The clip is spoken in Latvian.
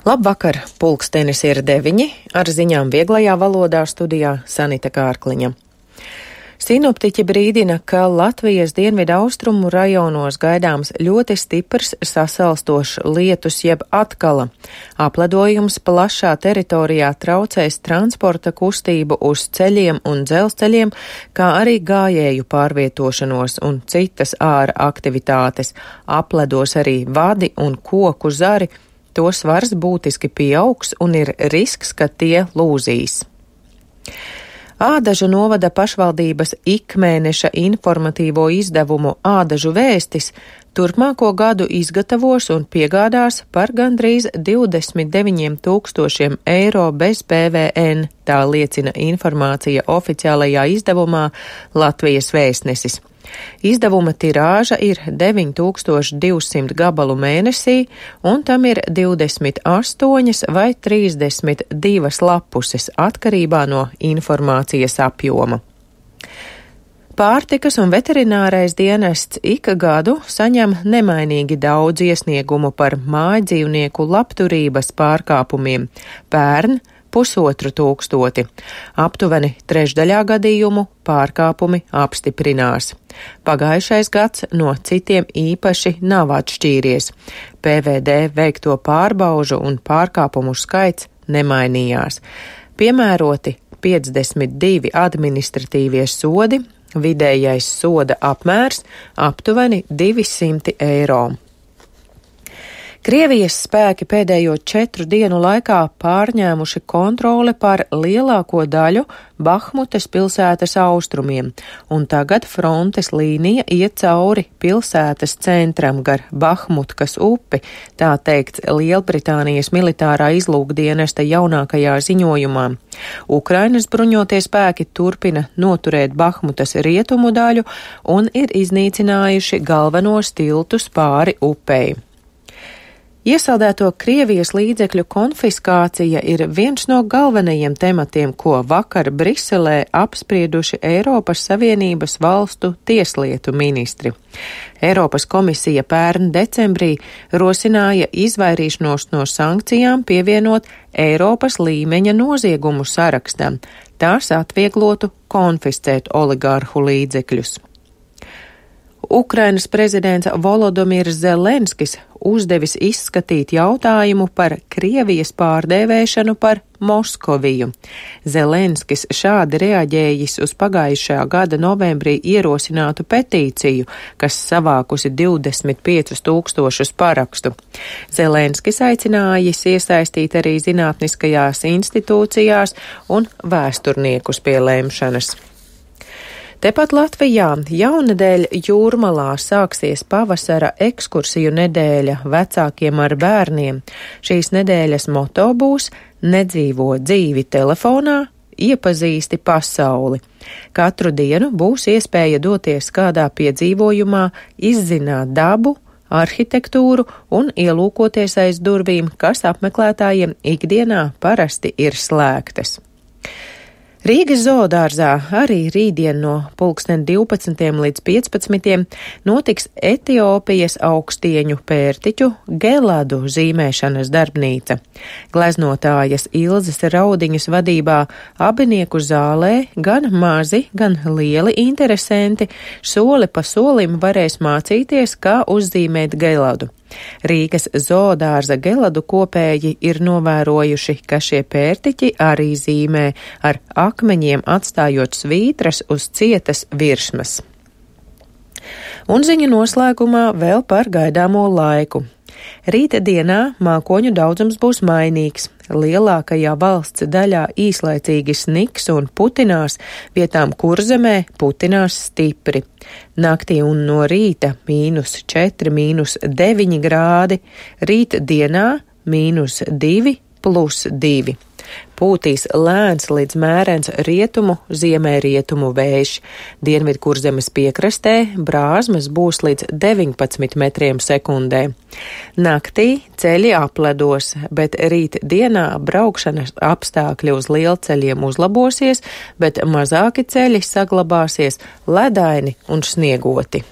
Labvakar, pulkstenis ir 9, ar ziņām vieglajā valodā studijā Sanita Kārkliņa. Sinoptiķi brīdina, ka Latvijas dienvidu austrumu rajonos gaidāms ļoti stiprs sasalstošs lietus jeb atkala. Apledojums plašā teritorijā traucēs transporta kustību uz ceļiem un dzelzceļiem, kā arī gājēju pārvietošanos un citas āra aktivitātes. Apledos arī vadi un koku zari. To svars būtiski pieaugs un ir risks, ka tie lūzīs. Ādažu novada pašvaldības ikmēneša informatīvo izdevumu Ādažu vēstis turpmāko gadu izgatavos un piegādās par gandrīz 29 000 eiro bez PVN, tā liecina informācija oficiālajā izdevumā Latvijas Vēstnesis. Izdevuma tirāža ir 9200 gabalu mēnesī, un tam ir 28 vai 32 lapuses atkarībā no informācijas apjoma. Pārtikas un veterinārais dienests ik gadu saņem nemainīgi daudz iesniegumu par mājdzīvnieku labturības pārkāpumiem. Pērn 1500. Aptuveni trešdaļā gadījumu pārkāpumi apstiprinās. Pagājušais gads no citiem īpaši nav atšķīries. PVD veikto pārbaužu un pārkāpumu skaits nemainījās. Piemēroti 52 administratīvie sodi, vidējais soda apmērs aptuveni 200 eiro. Krievijas spēki pēdējo 4 dienu laikā pārņēmuši kontroli pār lielāko daļu Bahmutas pilsētas austrumiem, un tagad frontes līnija iet cauri pilsētas centram gar Bahmutkas upi, tā teikts Lielbritānijas militārā izlūkdienesta jaunākajā ziņojumā. Ukrainas bruņotie spēki turpina noturēt Bahmutas rietumu daļu un ir iznīcinājuši galvenos tiltus pāri upei. Iesaldēto Krievijas līdzekļu konfiskācija ir viens no galvenajiem tematiem, ko vakar Briselē apsprieduši Eiropas Savienības valstu tieslietu ministri. Eiropas komisija pērn decembrī rosināja izvairīšanos no sankcijām pievienot Eiropas līmeņa noziegumu sarakstam. Tās atvieglotu konfiscēt oligārhu līdzekļus. Ukrainas prezidents Volodimirs Zelenskis uzdevis izskatīt jautājumu par Krievijas pārdēvēšanu par Moskoviju. Zelenskis šādi reaģējis uz pagājušā gada novembrī ierosinātu petīciju, kas savākusi 25 000 parakstu. Zelenskis aicinājis iesaistīt arī zinātniskajās institūcijās un vēsturniekus pie lemšanas. Tepat Latvijā jaunedēļ Jūrmalā sāksies pavasara ekskursiju nedēļa vecākiem ar bērniem. Šīs nedēļas moto būs nedzīvo dzīvi telefonā, iepazīsti pasauli. Katru dienu būs iespēja doties kādā piedzīvojumā, izzināt dabu, arhitektūru un ielūkoties aiz durvīm, kas apmeklētājiem ikdienā parasti ir slēgtas. Rīgas zoodārzā arī rītdien no 12 līdz 15 notiks Etiopijas augstieņu pērtiķu geladu zīmēšanas darbnīca. Gleznotājas Ilzes Raudiņas vadībā abinieku zālē gan mazi, gan lieli interesanti soli pa solim varēs mācīties, kā uzzīmēt geladu. Rīgas zoodārza geladu kopēji ir novērojuši, ka šie pērtiķi arī zīmē ar akmeņiem atstājot svītras uz cietas virsmas. Un ziņu noslēgumā vēl par gaidāmo laiku. Rīta dienā mākoņu daudzums būs mainīgs. Lielākajā valsts daļā īslaicīgi sniks un putinās, vietām Kurzemē putinās stipri. Naktī un no rīta -4, -9 grādi, rīta dienā -2, +2. Pūtīs lēns līdz mērens rietumu, ziemeļrietumu vējš. Dienvidkurzemes piekrastē brāzmas būs līdz 19 metriem sekundē. Naktī ceļi apledos, bet rīt dienā braukšanas apstākļi uz lielceļiem uzlabosies, bet mazāki ceļi saglabāsies ledaini un sniegoti.